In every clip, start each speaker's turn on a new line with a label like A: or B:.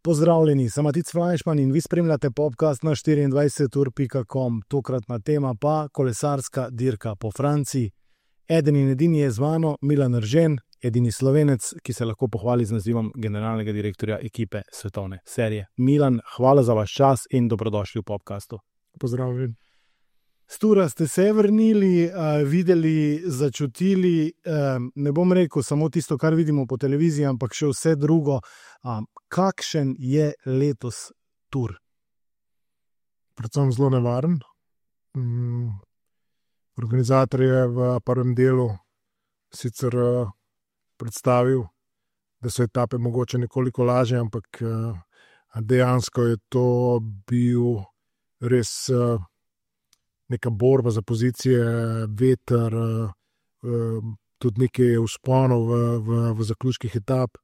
A: Pozdravljeni, sem Matic Flajšman in vi spremljate podcast na 24ur.com. Tokratna tema pa kolesarska dirka po Franciji. Eden in edini je z mano Milan Eržen, edini Slovenec, ki se lahko pohvali z nazivom generalnega direktorja ekipe svetovne serije. Milan, hvala za vaš čas in dobrodošli v podcastu.
B: Pozdravljen.
A: S tura ste se vrnili, videli, začutili, ne bom rekel samo tisto, kar vidimo po televiziji, ampak še vse drugo. Kakšen je letos tur?
B: Predvsem zelo nevaren. Organizator je v prvem delu sicer predstavil, da so etape mogoče nekoliko lažje, ampak dejansko je to bil res neka borba za pozicije, veter, tudi nekaj vzponov v zaključkih etap.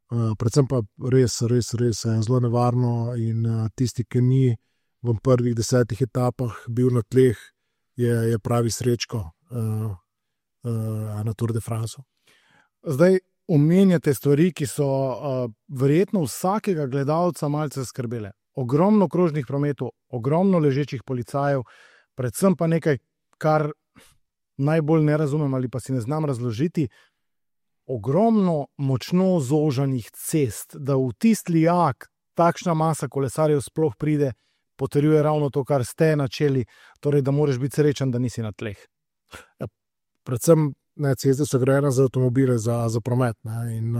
B: Predvsem pa res zelo nevarno in tisti, ki ni v prvih 10 etapah bil na tleh, je pravi srečko na Tour de France.
A: Zdaj omenjate stvari, ki so verjetno vsakega gledalca malce skrbele. Ogromno krožnih prometov, ogromno ležečih policajev, predvsem pa nekaj, kar najbolj ne razumem ali pa si ne znam razložiti, ogromno močno zožanih cest, da v tisti lijak takšna masa kolesarjev sploh pride, potrjuje ravno to, kar ste načeli, torej da moraš biti srečen, da nisi na tleh.
B: Predvsem ceste so grajene za avtomobile, za promet. In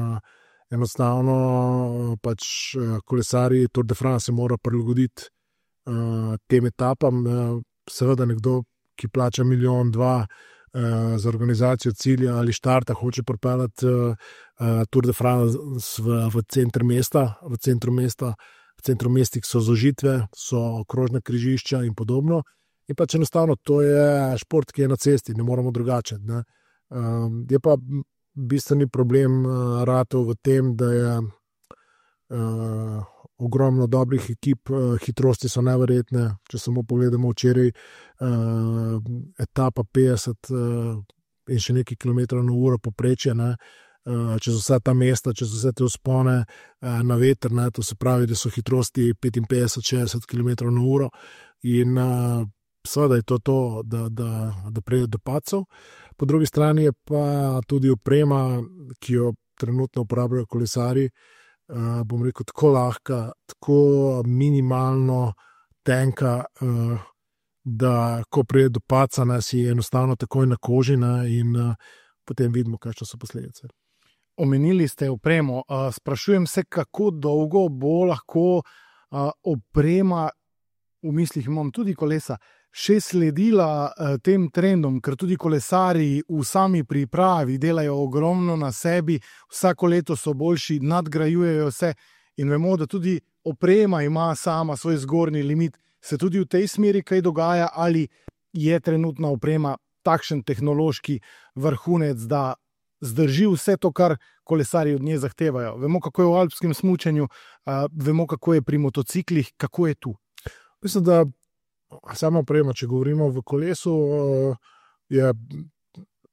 B: enostavno pač kolesarji Tour de France mora prilagoditi tem etapam. Seveda nekdo, ki plača 1,2 milijona za organizacijo cilja ali štarta, hoče pripeljati Tour de France v center mesta, v centru mestih so zožitve, so krožna križišča in podobno. In pač enostavno to je šport, ki je na cesti, ne moramo drugače. Ne. Je pa bistveni problem ratov v tem, da je ogromno dobrih ekip, hitrosti so neverjetne. Če samo pogledamo včeraj, etapa 50 in še nekaj kilometrov na uro povprečje, čez vsa ta mesta, čez vse te vzpone na veter, to se pravi, da so hitrosti 55-60 km na uro in seveda je to, da pride do padcev. Po drugi strani je pa tudi oprema, ki jo trenutno uporabljajo kolesarji, bom rekel, tako lahka, tako minimalno tenka, da ko pride do padca, si enostavno takoj na koži in potem vidimo, kakšne so posledice.
A: Omenili ste opremo. Sprašujem se, kako dolgo bo lahko oprema, v mislih imam tudi kolesa, še sledila tem trendom, ker tudi kolesarji v sami pripravi delajo ogromno na sebi, vsako leto so boljši, nadgrajujejo se in vemo, da tudi oprema ima sama svoj zgornji limit. Se tudi v tej smeri kaj dogaja ali je trenutna oprema takšen tehnološki vrhunec, da zdrži vse to, kar kolesarji od nje zahtevajo? Vemo, kako je v alpskem smučanju, vemo, kako je pri motociklih, kako je tu?
B: Mislim, da sama oprema, če govorimo v kolesu, je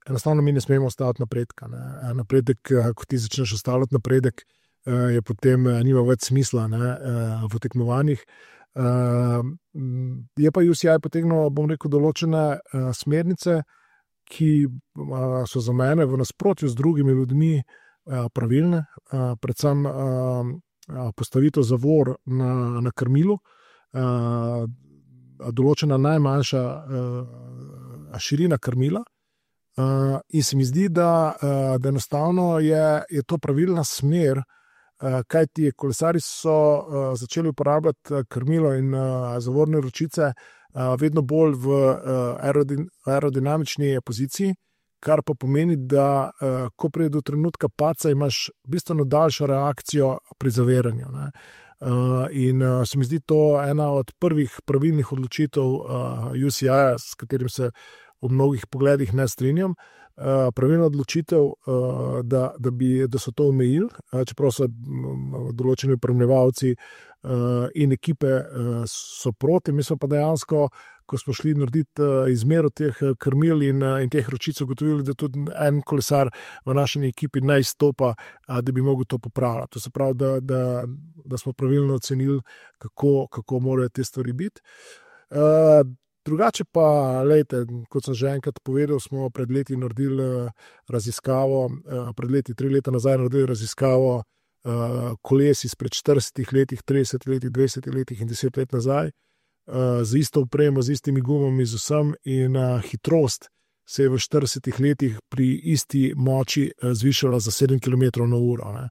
B: enostavno mi ne smemo staviti napredka. Napredek, ko ti začneš stavljati napredek, je potem nima več smisla v tekmovanjih. Je pa UCI potegnil, bom rekel, določene smernice, ki so za mene v nasprotju z drugimi ljudmi pravilne, predvsem postavitev zavor na krmilu, določena najmanjša širina krmila in se mi zdi, da enostavno je to pravilna smer, kajti kolesarji so začeli uporabljati krmilo in zavorne ročice vedno bolj v aerodinamični poziciji, kar pa pomeni, da ko pride do trenutka padca, imaš bistveno daljšo reakcijo pri zaviranju. In se mi zdi to ena od prvih pravilnih odločitev UCI-ja, s katerim se v mnogih pogledih ne strinjam. Pravilna odločitev, da so to omejili, čeprav so določeni opremljevalci in ekipe so proti. Mi smo pa dejansko ko smo šli narediti izmero teh krmil in teh ročic, ugotovili, da tudi en kolesar v naši ekipi ne izstopa, da bi mogel to popravljati. To se pravi, da smo pravilno ocenili, kako morajo te stvari biti. Drugače pa, lejte, kot sem že enkrat povedal, smo pred leti naredili raziskavo, 3 leta nazaj naredili raziskavo koles izpred 40 letih, 30 letih, 20 letih in 10 let nazaj, z isto opremo, z istimi gumami, z vsem, in hitrost se je v 40 letih pri isti moči zvišala za 7 km/h, ne?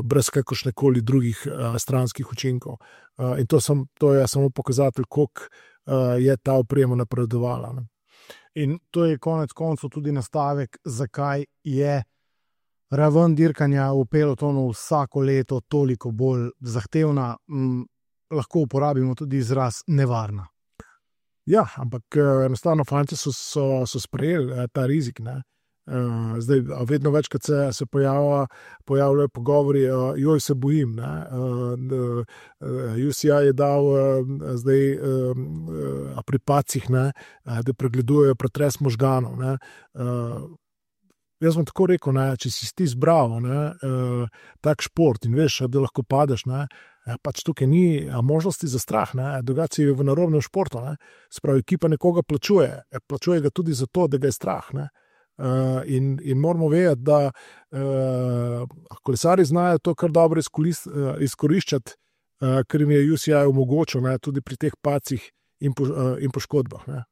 B: Brez kakršnekoli drugih stranskih učinkov. In to je samo pokazatelj, koliko je ta oprema napredovala, ne?
A: In to je konec koncev tudi nastavek, zakaj je raven dirkanja v pelotonu vsako leto toliko bolj zahtevna, lahko uporabimo tudi izraz nevarna.
B: Ja, ampak enostavno fantje so sprejeli ta rizik, ne? Zdaj, vedno večkrat se pojavljajo pogovori, joj, se bojim, ne? UCI je dal zdaj pri pacih, ne, da pregledujejo pretres možganov, ne? Jaz bom tako rekel, ne, če si ti izbral tak šport in veš, da lahko padeš, ne, pač tukaj ni možnosti za strah, ne, drugače si v narobnem športu, ne. Spravi, ekipa nekoga plačuje ga tudi zato, da ga je strah, ne. In moramo vedeti, da kolesarji znajo to kar dobro izkoriščati, ker jim je UCI omogočil, ne, tudi pri teh pacih in poškodbah, ne.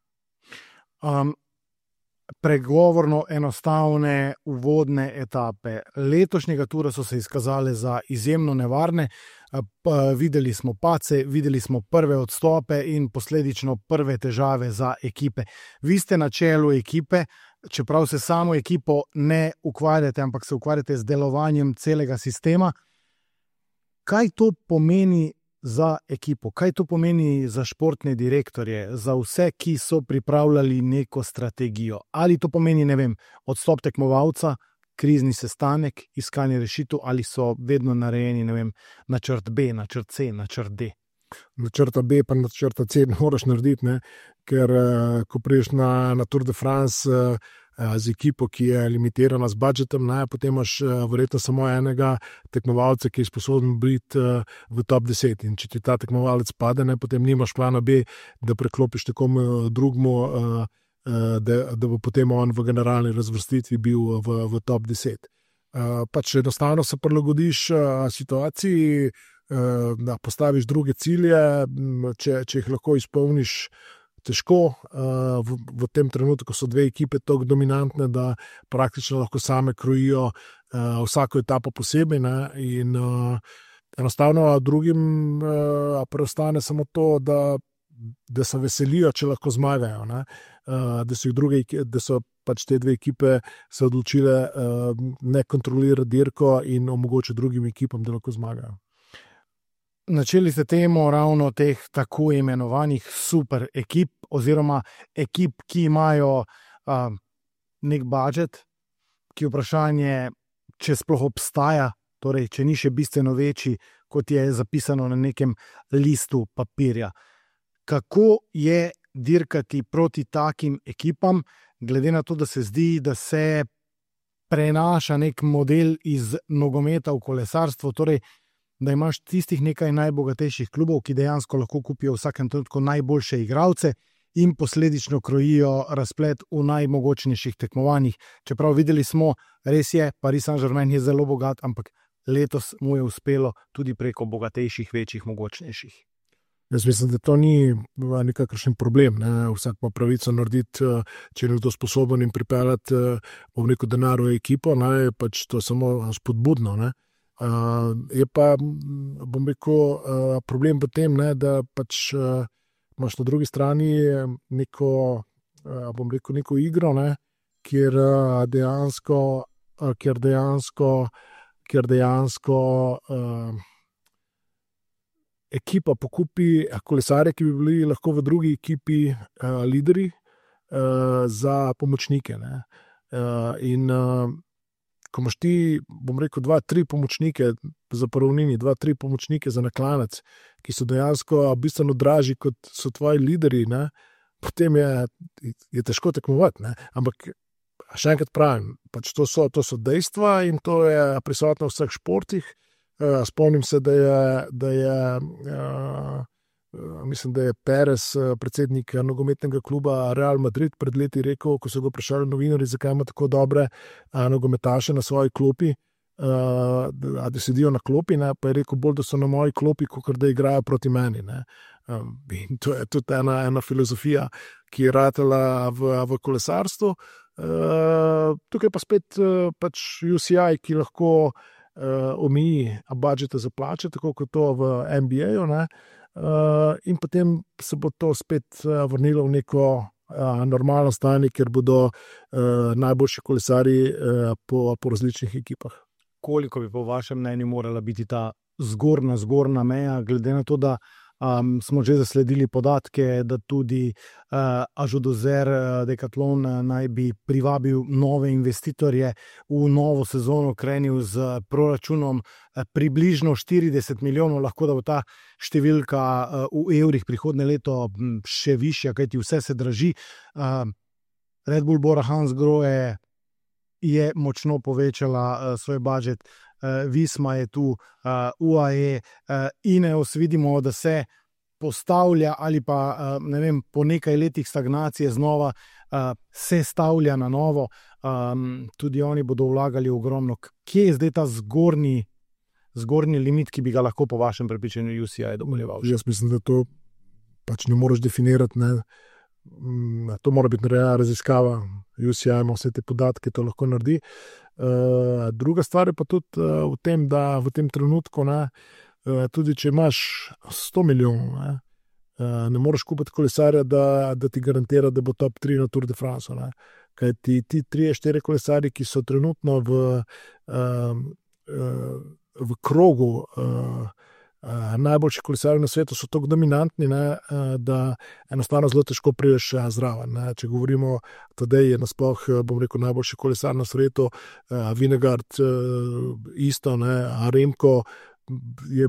A: Pregovorno enostavne uvodne etape letošnjega tura so se izkazale za izjemno nevarne. Videli smo pace, videli smo prve odstope in posledično prve težave za ekipe. Vi ste na čelu ekipe, čeprav se samo ekipo ne ukvarjate, ampak se ukvarjate z delovanjem celega sistema. Kaj to pomeni za ekipo? Kaj to pomeni za športne direktorje, za vse, ki so pripravljali neko strategijo? Ali to pomeni, ne vem, odstop tekmovalca, krizni sestanek, iskanje rešitev, ali so vedno narejeni, ne vem, načrt B, načrt C, načrt D?
B: Načrta B pa načrta C ne moraš narediti, ne? Ker ko priješ na Tour de France z ekipo, ki je limitirana z budžetom, ne? Potem imaš verjetno samo enega tekmovalca, ki je sposoben biti v top 10. In če ti ta tekmovalec pade, ne? Potem nimaš plana B, da preklopiš nekomu drugmu, da bo potem on v generalni razvrstitvi bil v top 10. Pač enostavno se prilagodiš situaciji, da postaviš druge cilje, če jih lahko izpolniš, težko. V tem trenutku so dve ekipe tako dominantne, da praktično lahko same krojijo vsako etapo posebej, ne? In enostavno drugim preostane samo to, da se veselijo, če lahko zmagajo, ne? Da so pač te dve ekipe se odločile ne kontrolirati dirko in omogočiti drugim ekipam, da lahko zmagajo.
A: Načeli ste temo ravno teh tako imenovanih super ekip oziroma ekip, ki imajo nek budžet, ki vprašanje, če sploh obstaja, torej če ni še bistveno večji, kot je zapisano na nekem listu papirja. Kako je dirkati proti takim ekipam, glede na to, da se zdi, da se prenaša nek model iz nogometa v kolesarstvo, torej da imaš tistih nekaj najbogatejših klubov, ki dejansko lahko kupijo v vsakem trenutku najboljše igralce in posledično krojijo razplet v najmogočnejših tekmovanjih. Čeprav videli smo, res je, Paris Saint-Germain je zelo bogat, ampak letos mu je uspelo tudi preko bogatejših, večjih, mogočnejših.
B: Jaz mislim, da to ni nikakršen problem, ne? Vsak ima pravico narediti, če je nekdo sposoben in pripeljati, bom rekel, denar v ekipo, ne? Pač to samo spodbudno, ne? Je pa, bom rekel, problem v tem, ne, da pač imaš na drugi strani neko, bom rekel, neko igro, ne, kjer dejansko ekipa pokupi kolesarje, ki bi bili lahko v drugi ekipi lideri za pomočnike, ne. In ko imaš ti, bom rekel, 2-3 pomočnike za poravnini, 2-3 pomočnike za naklanec, ki so dejansko bistveno dražji kot so tvoji lideri, ne, potem je težko tekmovati. Ne. Ampak še enkrat pravim, pač to so dejstva in to je prisotno v vseh športih. Spomnim se, da je mislim, da je Perez, predsednik nogometnega kluba Real Madrid, pred leti rekel, ko so ga vprašali novinarji, zakaj ima tako dobre nogometaše na svoji klopi, da sedijo na klopi, ne, pa je rekel bolj, da so na moji klopi, kot da igrajo proti meni. Ne. In to je tudi ena filozofija, ki je ratela v kolesarstvu. Tukaj pa spet pač UCI, ki lahko omeji budžete za plače, tako kot to v NBA-ju, ne. In potem se bo to spet vrnilo v neko normalno stanje, ker bodo najboljši kolesarji po različnih ekipah.
A: Koliko bi po vašem mnenju morala biti ta zgornja meja, glede na to, da smo že zasledili podatke, da tudi Ažudozer Decathlon naj bi privabil nove investitorje v novo sezono, krenil z proračunom približno 40 milijonov, lahko da bo ta številka v evrih prihodnje leto še višja, kajti vse se draži. Red Bull Bora Hansgrohe je močno povečala svoj budžet, Visma je tu, UAE, Ineos vidimo, da se postavlja ali pa ne vem, po nekaj letih stagnacije znova se stavlja na novo, tudi oni bodo vlagali ogromno. Kje je zdaj ta zgornji limit, ki bi ga lahko po vašem prepričanju UCI dovoljeval?
B: Jaz mislim, da to pač ne moreš definirati, ne. To mora biti narejena raziskava. UCI ima vse te podatke, to lahko naredi. Druga stvar je pa tudi v tem, da v tem trenutku, ne, tudi če imaš 100 milijonov, ne moreš kupiti kolesarja, da ti garantira, da bo top 3 na Tour de France. Ne. Kaj ti 3-4 kolesarji, ki so trenutno v krogu najboljši kolesarji na svetu, so tako dominantni, ne, da enostavno zelo težko prideš zraven. Ne. Če govorimo, tedaj je nasploh, bom rekel, najboljši kolesar na svetu, Vingegaard isto, ne, Remko je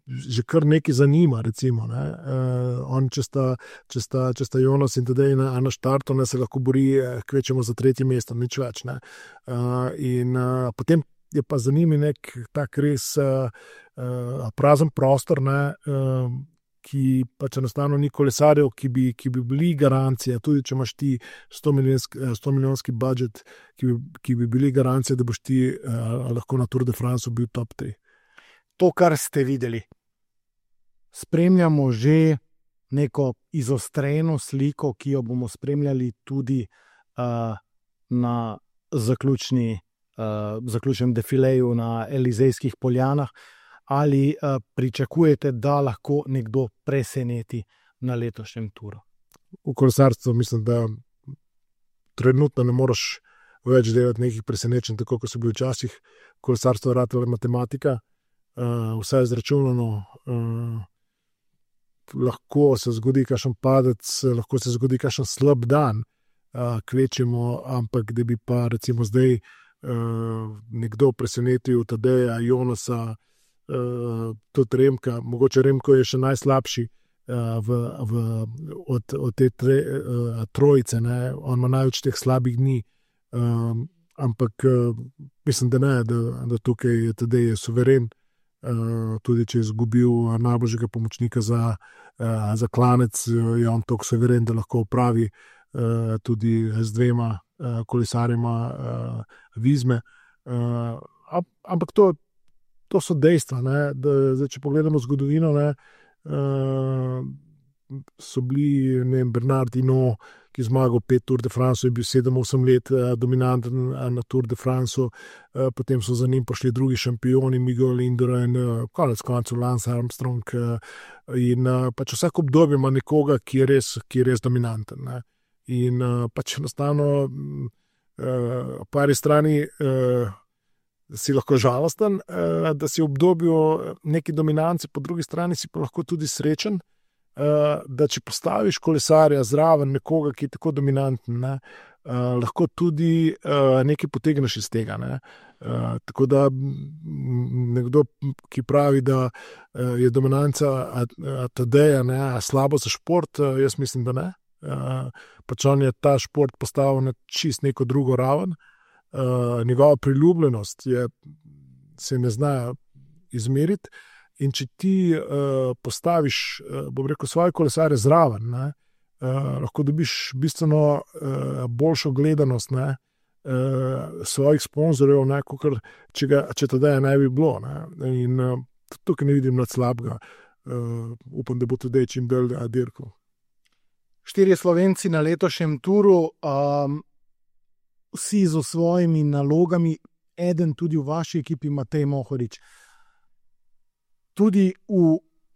B: že kar nekaj zanima, recimo. Ne. On, če sta Jonas in tedaj na štartu, ne, se lahko bori kvečemo za 3. mesto, nič več. Ne. In potem je pa za njimi nek tak res prazen prostor, ne, ki pač enostavno ni kolesarjev, ki bi bili garancija, tudi če imaš ti 100 milijonski budžet, ki bi bili garancija, da boš ti lahko na Tour de France bil top 3.
A: To, kar ste videli, spremljamo že neko izostreno sliko, ki jo bomo spremljali tudi na zaključnem defileju na Elizejskih poljanah. Ali pričakujete, da lahko nekdo preseneti na letošnjem turu?
B: V kolesarstvu mislim, da trenutno ne moreš več delati nekih presenečenj, tako kot so bili včasih. Kolesarstvo je ratala matematika, vse je izračunano, lahko se zgodi kakšen padec, lahko se zgodi kakšen slab dan, kvečemo, ampak da bi pa recimo zdaj nekdo presenetil Tadeja, Jonasa, tudi Remka, mogoče Remko je še najslabši od te trojice, ne? On ima največ teh slabih dni, ampak mislim, da ne, da tukaj je Tadej suveren, tudi če je izgubil najboljšega pomočnika za klanec, je on toliko suveren, da lahko opravi tudi z 2 kolesarjema Vizme, ampak to so dejstva, ne, da zdaj, če pogledamo zgodovino, ne, so bili, ne vem, Bernard Hinault, ki je zmagal 5 Tour de France, je bil 7-8 let dominanten na Tour de France, potem so za njim prišli drugi šampioni, Miguel Indurain, konec koncev Lance Armstrong, in pač vsak obdobje ima nekoga, ki je res dominanten, ne. In pač enostavno po eni strani si lahko žalosten, da si v obdobju neki dominance, po drugi strani si pa lahko tudi srečen, da če postaviš kolesarja zraven nekoga, ki je tako dominanten, ne, lahko tudi nekaj potegneš iz tega. Ne. Tako da nekdo, ki pravi, da je dominanca Tadeja slabo za šport, jaz mislim, da ne. Pač on je ta šport postavil na čist neko drugo raven. Njegova priljubljenost se ne zna izmeriti. In če ti postaviš, bom rekel, svoje kolesare zraven, ne, lahko dobiš bistveno boljšo gledanost, ne, svojih sponzorjev, ne, kakor če Tadeja ne bi bilo. Ne. In tukaj ne vidim nič slabega. Upam, da bo tudi čim dalj dirkal.
A: 4 Slovenci na letošnjem turu, vsi z svojimi nalogami, eden tudi v vaši ekipi, Matej Mohorič. Tudi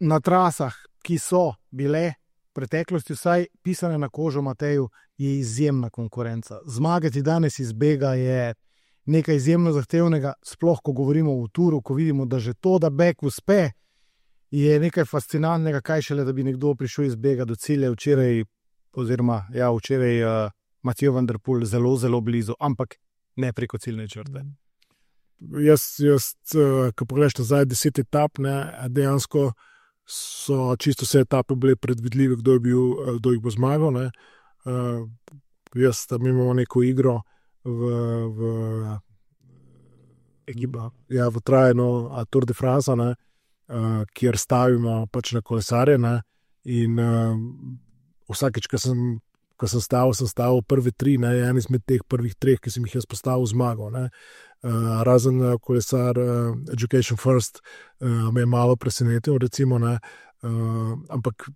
A: na trasah, ki so bile v preteklosti vsaj pisane na kožo Mateju, je izjemna konkurenca. Zmagati danes iz bega je nekaj izjemno zahtevnega, sploh ko govorimo o turu, ko vidimo, da že to, da beg uspe, je nekaj fascinantnega, kaj šele, da bi nekdo prišel iz bega do cilja včeraj Mathieu van der Poel zelo, zelo blizu, ampak ne preko ciljne črte.
B: Jaz, ko pogledaš nazaj 10 etap, ne, dejansko so čisto vse etape bile predvidljive, kdo jih bo zmagal. Ne. Jaz tam imamo neko igro v trajno Tour de France, ne, kjer stavimo pač na kolesarje, ne, in vsakeč, ko sem stavil prve 3, ne, en izmed teh prvih 3, ki sem jih jaz postavil, zmagal. Ne. Razen kolesar Education First me je malo presenetil, recimo, ne. Ampak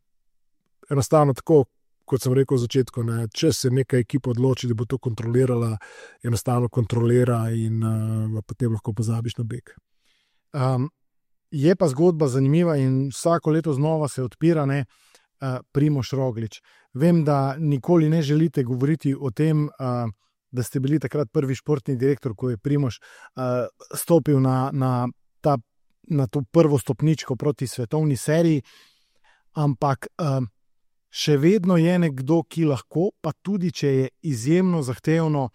B: enostavno tako, kot sem rekel v začetku, ne, če se neka ekipa odloči, da bo to kontrolirala, enostavno kontrolira in potem lahko pozabiš na beg.
A: Je pa zgodba zanimiva in vsako leto znova se odpira, ne, Primož Roglič. Vem, da nikoli ne želite govoriti o tem, da ste bili takrat prvi športni direktor, ko je Primož stopil na to prvo stopničko proti svetovni seriji, ampak še vedno je nekdo, ki lahko, pa tudi če je izjemno zahtevno,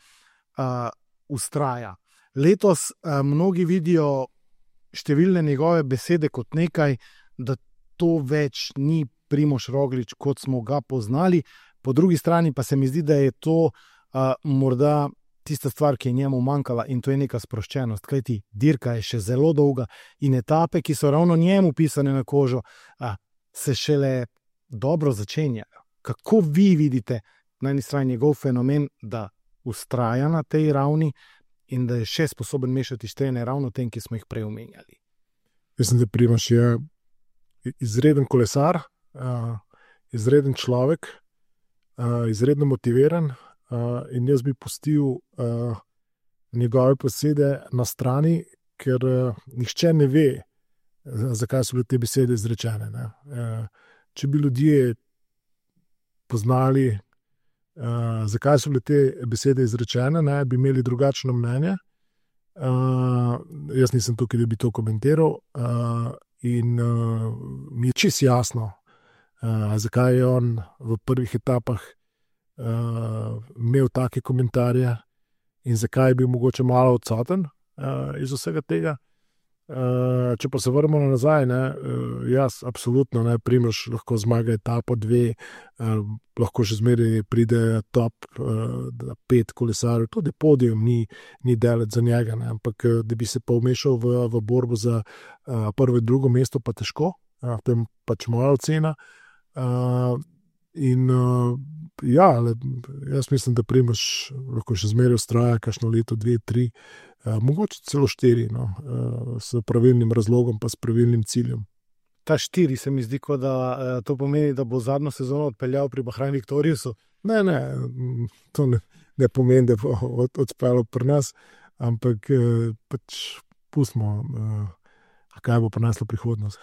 A: vztraja. Letos mnogi vidijo številne njegove besede kot nekaj, da to več ni Primož Roglič, kot smo ga poznali. Po drugi strani pa se mi zdi, da je to morda tista stvar, ki je njemu manjkala, in to je neka sproščenost, kajti dirka je še zelo dolga in etape, ki so ravno njemu pisane na kožo, se šele dobro začenjajo. Kako vi vidite na eni strani njegov fenomen, da vztraja na tej ravni in da je še sposoben mešati štene ravno tem, ki smo jih prej omenjali?
B: Mislim, da Primož je izreden kolesar, izreden človek, izredno motiviran, in jaz bi pustil njegove besede na strani, ker nihče ne ve, zakaj so bile te besede izrečene. Ne. Če bi ljudje poznali, zakaj so bile te besede izrečene, ne, bi imeli drugačno mnenje. Jaz nisem tukaj, da bi to komentiral, in mi je čisto jasno, zakaj je on v prvih etapah imel take komentarje in zakaj je bil mogoče malo odsoten iz vsega tega. Če pa se vrnemo nazaj, ne, jaz absolutno ne, Primož lahko zmaga etapo 2, lahko še zmeraj pride top 5 kolesarjev, tudi podium ni daleč za njega, ne, ampak da bi se pa vmešal v borbo za prvo in drugo mesto, pa težko, to je pač moja ocena. In jaz mislim, da Primož lahko še zmeraj vztraja kakšno leto, 2, 3, mogoče celo 4, no, s pravilnim razlogom pa s pravilnim ciljem.
A: Ta 4 se mi zdi, kot da to pomeni, da bo zadnjo sezono odpeljal pri Bahrain Victoriousu.
B: Ne, to ne pomeni, da bo odpeljal pri nas, ampak pač pustimo, kaj bo prineslo prihodnost.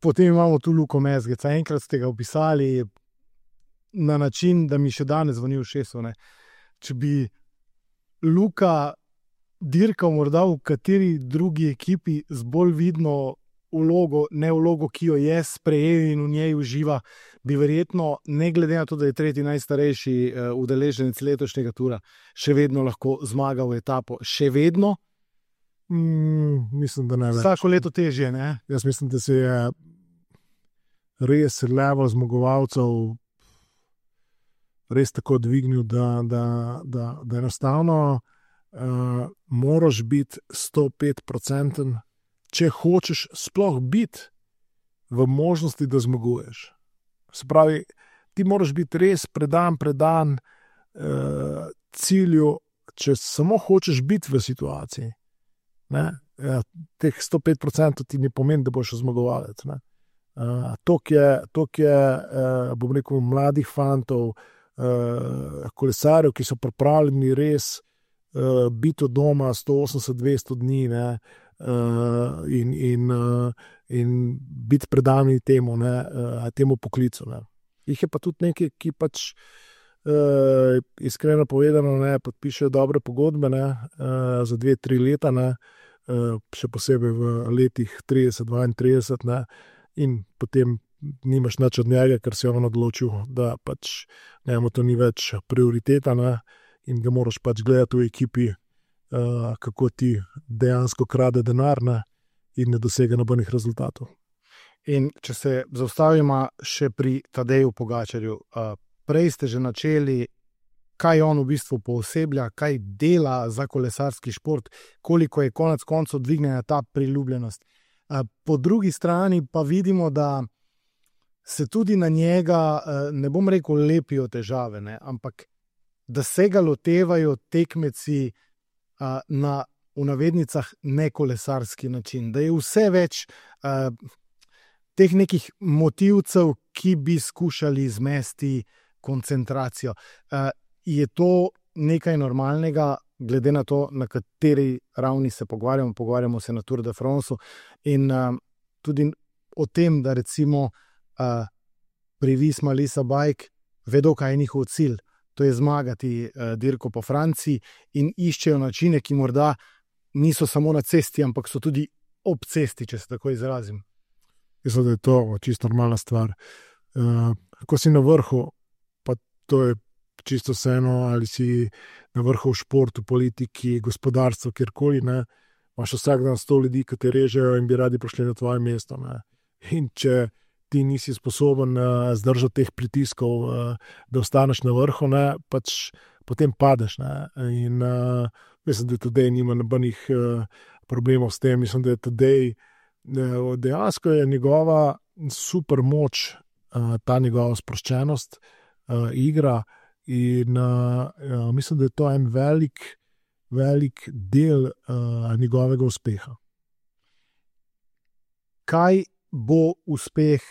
A: Potem imamo tu Luko Mezgeca. Enkrat ste ga opisali na način, da mi še danes zvoni v ušesu. Če bi Luka dirkal morda v kateri drugi ekipi z bolj vidno vlogo, ne vlogo, ki jo je sprejel in v njej uživa, bi verjetno, ne glede na to, da je tretji najstarejši udeleženec letošnjega tura, še vedno lahko zmagal v etapo. Še vedno?
B: Mislim, da ne več.
A: Vsako leto težje, ne?
B: Jaz mislim, da se je res level zmagovalcev res tako dvignil, da enostavno moraš biti 105%, če hočeš sploh biti v možnosti, da zmaguješ. Se pravi, ti moraš biti res predan cilju, če samo hočeš biti v situaciji. Ne? Ja, teh 105% ti ne pomeni, da boš zmagovalec. Tok je, bom rekel, mladih fantov, kolesarjev, ki so pripravljeni res biti od doma 180-200 dni, ne? In biti predani temu, temu poklicu. Ne? Jih je pa tudi nekaj, ki pač iskreno povedano podpišejo dobre pogodbe za 2-3 leta, še posebej v letih 30-32, in potem nimaš nič od njega, ker si on odločil, da pač to ni več prioriteta, in ga moraš pač gledati v ekipi, kako ti dejansko krade denar, in ne dosega nobenih rezultatov.
A: In če se zaustavimo še pri Tadeju Pogačarju, prej ste že načeli, kaj on v bistvu pooseblja, kaj dela za kolesarski šport, koliko je konec koncev dvignjena ta priljubljenost. Po drugi strani pa vidimo, da se tudi na njega, ne bom rekel, lepijo težave, ampak da se ga lotevajo tekmeci na, v navednicah, nekolesarski način, da je vse več teh nekih motivcev, ki bi skušali zmesti koncentracijo. Je to nekaj normalnega, glede na to, na kateri ravni se pogovarjamo se na Tour de France in tudi o tem, da recimo pri Visma Lease a Bike vedo, kaj je njihov cilj. To je zmagati dirko po Franciji in iščejo načine, ki morda niso samo na cesti, ampak so tudi ob cesti, če se tako izrazim.
B: Mislim, da je to čisto normalna stvar. Ko si na vrhu, pa to je čisto vseeno, ali si na vrhu v športu, politiki, gospodarstvu, kjerkoli, imaš vsak dan 100 ljudi, ki te režejo in bi radi prišli na tvoje mesto. In če ti nisi sposoben zdržati teh pritiskov, da ostaneš na vrhu, pač potem padeš. In mislim, da Tadej nima nobenih problemov s tem. Mislim, da je Tadej dejansko je njegova super moč, ta njegova sproščenost, igra, in mislim, da je to en velik del njegovega uspeha. Kaj
A: Bo uspeh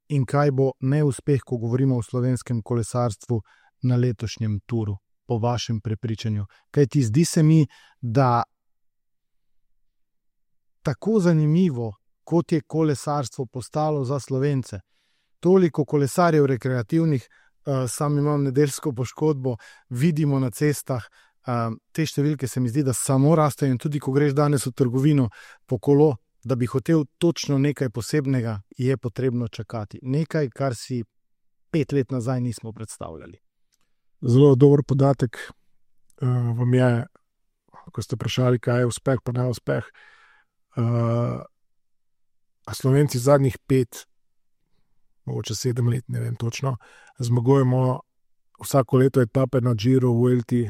A: in kaj bo neuspeh, ko govorimo o slovenskem kolesarstvu na letošnjem turu, po vašem prepričanju? Kaj ti zdi se mi, da tako zanimivo, kot je kolesarstvo postalo za Slovence, toliko kolesarjev rekreativnih, sam imam nedeljsko poškodbo, vidimo na cestah, te številke se mi zdi, da samo rastejo, in tudi ko greš danes v trgovino po kolo, da bi hotel točno nekaj posebnega, je potrebno čakati. Nekaj, kar si 5 let nazaj nismo predstavljali.
B: Zelo dober podatek vam je, ko ste vprašali, kaj je uspeh, pa ne uspeh. Slovenci zadnjih 5, mogoče 7 let, ne vem točno, zmagujemo vsako leto etape na Giro, Vuelti,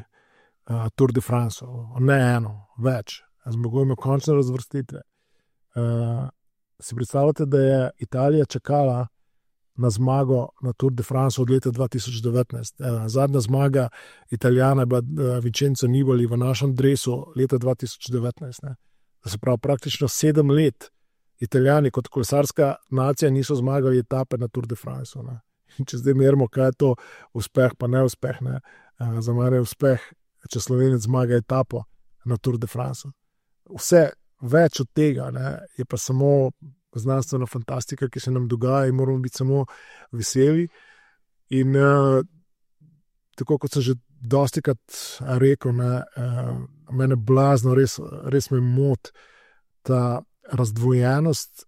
B: Tour de France. Ne eno, več. Zmagujemo končne razvrstitve. Si predstavljate, da je Italija čakala na zmago na Tour de France od leta 2019. Zadnja zmaga Italijana je bila Vincenzo Nibali v našem dresu leta 2019. Se pravi, praktično 7 let Italijani kot kolesarska nacija niso zmagali etape na Tour de France. Če zdaj merimo, kaj je to uspeh, pa neuspeh. Za mene je uspeh, če Slovenec zmaga etapo na Tour de France. Vse več od tega je pa samo znanstvena fantastika, ki se nam dogaja, in moramo biti samo veseli. In tako kot sem že dostikrat rekel, mene blazno, res me moti ta razdvojenost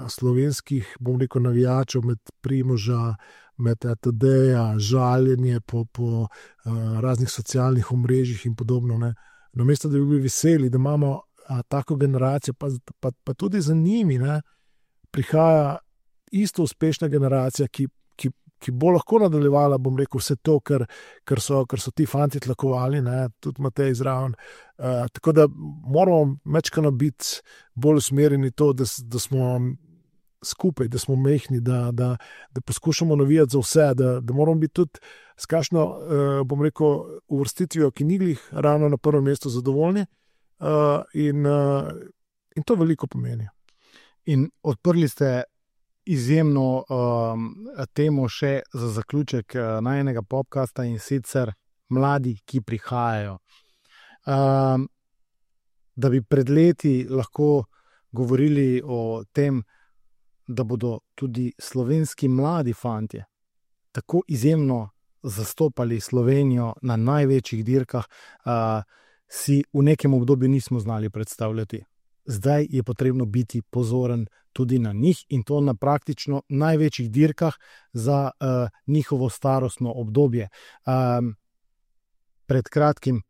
B: slovenskih, bom rekel, navijačev, med Primoža, med TD-ja, žaljenje po raznih socialnih omrežjih in podobno. Ne. Namesto da bi bili veseli, da imamo tako generacijo, pa tudi za njimi, ne, prihaja isto uspešna generacija, ki bo lahko nadaljevala, bom rekel, vse to, kar so ti fanti tlakovali, ne, tudi Matej zraven. Tako da moramo mečkano biti bolj usmerjeni to, da smo skupaj, da smo mehni, da poskušamo navijati za vse, da moramo biti tudi s kakšno, bom rekel, uvrstitvijo, ki ni glih ravno na prvem mestu zadovoljni, in to veliko pomeni.
A: In odprli ste izjemno temo še za zaključek najnega podcasta, in sicer mladi, ki prihajajo. Da bi pred leti lahko govorili o tem, da bodo tudi slovenski mladi fantje tako izjemno zastopali Slovenijo na največjih dirkah, si v nekem obdobju nismo znali predstavljati. Zdaj je potrebno biti pozoren tudi na njih, in to na praktično največjih dirkah za njihovo starostno obdobje. Pred kratkim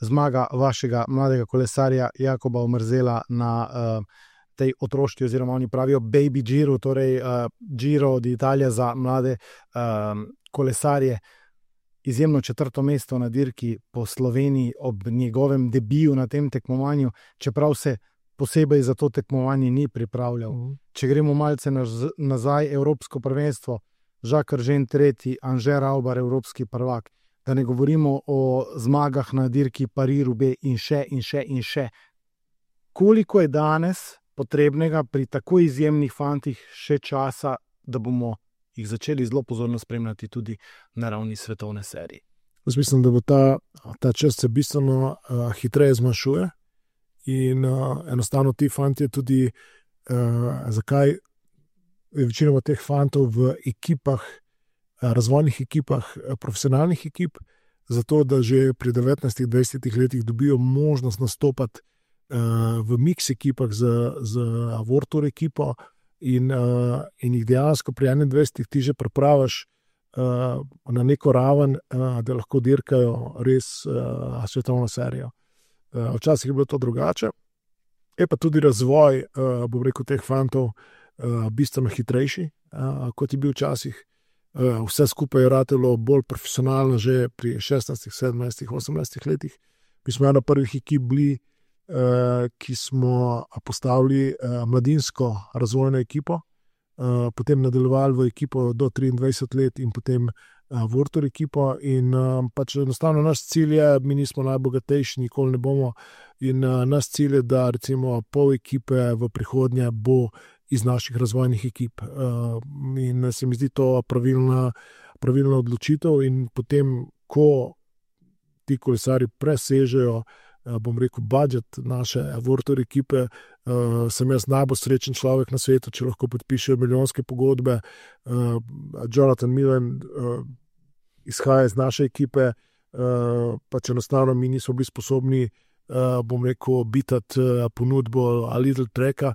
A: zmaga vašega mladega kolesarja Jakoba Omerzela na tej otroški, oziroma oni pravijo Baby Giro, torej Giro d'Italia za mlade kolesarje. Izjemno 4. mesto na dirki po Sloveniji ob njegovem debiju na tem tekmovanju, čeprav se posebej za to tekmovanje ni pripravljal. Če gremo malce nazaj, Evropsko prvenstvo, Jacques Eržen tretji, Anže Raubar evropski prvak, da ne govorimo o zmagah na dirki Paris-Roubaix in še in še in še. Koliko je danes potrebnega pri tako izjemnih fantih še časa, da bomo jih začeli zelo pozorno spremljati tudi na ravni svetovne serije?
B: Jaz mislim, da bo ta čas se bistveno hitreje zmanjšuje. In enostavno ti fantje tudi, zakaj je večinoma teh fantov v ekipah, razvojnih ekipah, profesionalnih ekip, zato da že pri 19-20 letih dobijo možnost nastopati v mix ekipah z World Tour ekipo in jih dejansko pri 21 ti že pripraviš na neko raven, da lahko dirkajo res svetovno serijo. Včasih je bilo to drugače, je pa tudi razvoj, bom rekel, teh fantov bistveno hitrejši, kot je bil včasih. Vse skupaj je ratelo bolj profesionalno že pri 16, 17, 18 letih. Mi smo ena prvih ekip bili, ki smo postavili mladinsko razvojno ekipo, potem nadaljevali v ekipo do 23 let in potem World Tour ekipo, in pač enostavno naš cilj je, mi nismo najbogatejši, nikoli ne bomo, in naš cilj je, da recimo pol ekipe v prihodnje bo iz naših razvojnih ekip. In se mi zdi to pravilna odločitev, in potem, ko ti kolesari presežejo, bom rekel, budžet naše World Tour ekipe, sem jaz najbolj srečen človek na svetu, če lahko podpišejo milijonske pogodbe. Jonathan Millen izhaja iz naše ekipe, pač enostavno mi nismo bili sposobni, bom rekel, bitati ponudbo a Little Tracka.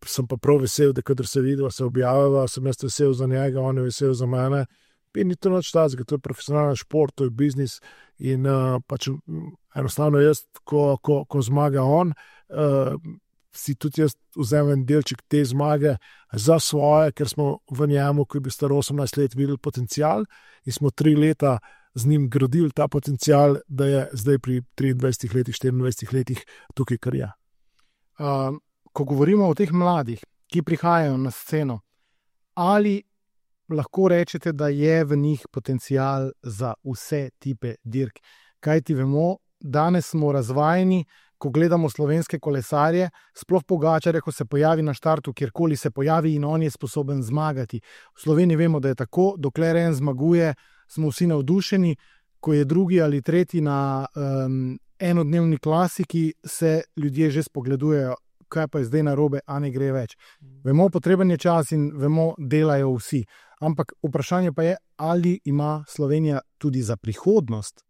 B: Sem pa prav vesel, da kadar se vidiva, se objavlja, sem jaz vesel za njega, on je vesel za mene. In ni to nič tazga, to je profesionalen šport, to je biznis, in pač enostavno jaz, ko zmaga on, si tudi jaz vzamem delček te zmage za svoje, ker smo v njemu, ko je bil star 18 let, videli potencial in smo 3 leta z njim gradili ta potencial, da je zdaj pri 23 letih, 24 letih tukaj, kar je.
A: Ko govorimo o teh mladih, ki prihajajo na sceno, ali lahko rečete, da je v njih potencial za vse tipe dirk? Kaj ti vemo, danes smo razvajeni, ko gledamo slovenske kolesarje, sploh Pogačarja, ko se pojavi na štartu, kjerkoli se pojavi in on je sposoben zmagati. V Sloveniji vemo, da je tako, dokler en zmaguje, smo vsi navdušeni, ko je drugi ali tretji na enodnevni klasiki, se ljudje že spogledujejo, kaj pa je zdaj narobe, a ne gre več. Vemo, potreben je čas in vemo, delajo vsi. Ampak vprašanje pa je, ali ima Slovenija tudi za prihodnost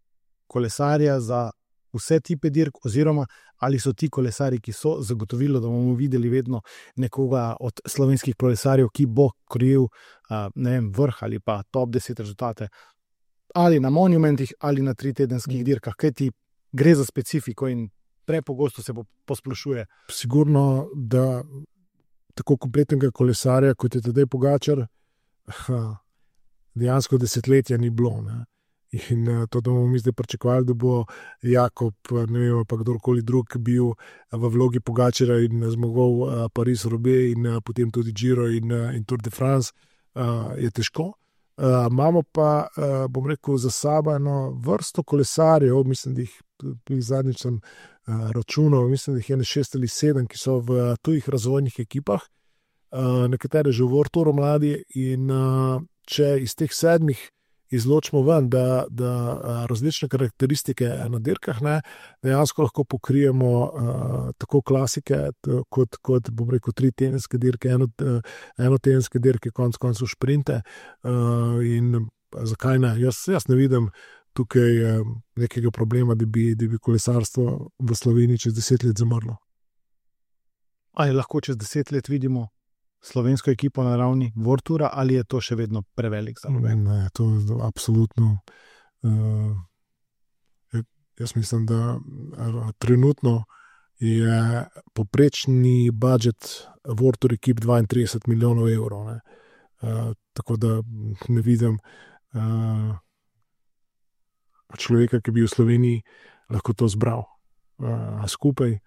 A: kolesarja za vse tipe dirk, oziroma ali so ti kolesari, ki so zagotovilo, da bomo videli vedno nekoga od slovenskih kolesarjev, ki bo krojil vrh ali pa top 10 rezultate, ali na monumentih, ali na 3-tedenskih dirkah, kajti gre za specifiko in prepogosto se posplošuje.
B: Sigurno, da tako kompletnega kolesarja, kot je Tadej Pogačar, dejansko desetletja ni bilo. Ne? In to, da bomo mi zdaj pričakovali, da bo Jakob, ne vem, pa kdorkoli drug bil v vlogi Pogačarja in zmogel Paris-Roubaix in potem tudi Giro in Tour de France, je težko. Imamo pa, bom rekel, za sabo eno vrsto kolesarjev, mislim, da jih zadnjič sem računal, mislim, da jih je 6 ali 7, ki so v tujih razvojnih ekipah, nekatere že v World Touru mladi, in če iz teh 7 izločimo ven, da različne karakteristike na dirkah, ne, dejansko lahko pokrijemo tako klasike, kot bom rekel, 3-tedenske dirke, enotedenske dirke, konec koncev šprinte. In zakaj ne? Jaz ne vidim tukaj nekega problema, da bi kolesarstvo v Sloveniji čez 10 let zamrlo.
A: Ali lahko čez 10 let vidimo slovensko ekipo na ravni World Toura, ali je to še vedno prevelik za nove?
B: Ne, to je absolutno. Jaz mislim, da trenutno je poprečni budžet World Tour ekip 32 milijonov evrov. Ne. Tako da ne vidim človeka, ki bi v Sloveniji lahko to zbral skupaj.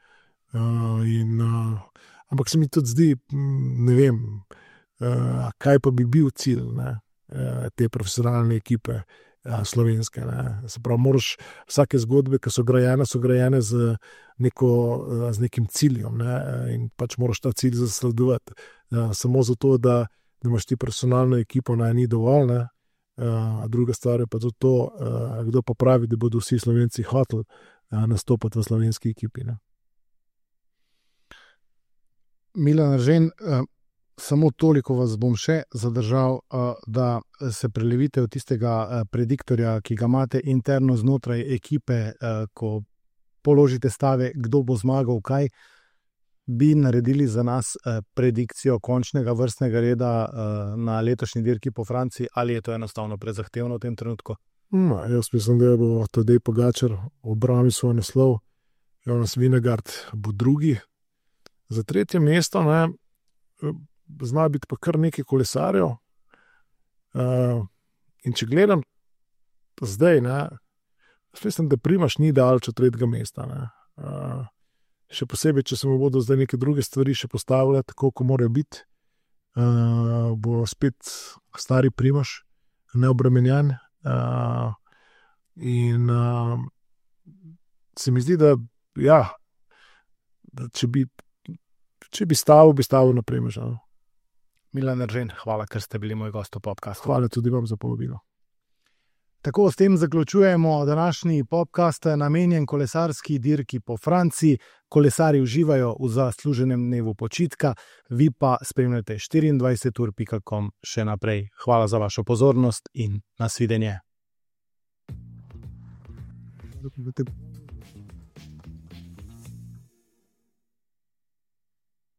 B: Ampak se mi tudi zdi, ne vem, kaj pa bi bil cilj, ne, te profesionalne ekipe slovenske. Ne. Se pravi, moraš vsake zgodbe, ki so grajene z nekim ciljem, ne, in pač moraš ta cilj zasledovati. Samo zato, da imaš ti profesionalno ekipo, ni dovolj, ne. Druga stvar je pa tudi to, kdo pa pravi, da bodo vsi Slovenci hoteli nastopati v slovenski ekipi, ne.
A: Milan Eržen, samo toliko vas bom še zadržal, da se prelevite v tistega prediktorja, ki ga imate interno znotraj ekipe, ko položite stave, kdo bo zmagal, kaj bi naredili za nas predikcijo končnega vrstnega reda na letošnji dirki po Franciji, ali je to enostavno prezahtevno v tem trenutku?
B: Jaz mislim, da bo Tadej Pogačar obranil svoj naslov, Jonas Vingegaard bo drugi. Za 3. mesto, ne, zna biti pa kar nekaj kolesarjev. In če gledam zdaj, ne, mislim, da Primož ni daleč od 3. mesta. Ne. Še posebej, če se mu bodo zdaj neke druge stvari še postavile, tako kot morajo biti, bo spet stari Primož neobremenjen. In se mi zdi, da ja, če bi stavil na Primoža.
A: Milan Eržen, hvala, ker ste bili moj gost v podcastu.
B: Hvala tudi vam za povabilo.
A: Tako s tem zaključujemo današnji podcast, namenjen kolesarski dirki po Franciji. Kolesarji uživajo v zasluženem dnevu počitka, vi pa spremljate 24ur.com še naprej. Hvala za vašo pozornost in nasvidenje.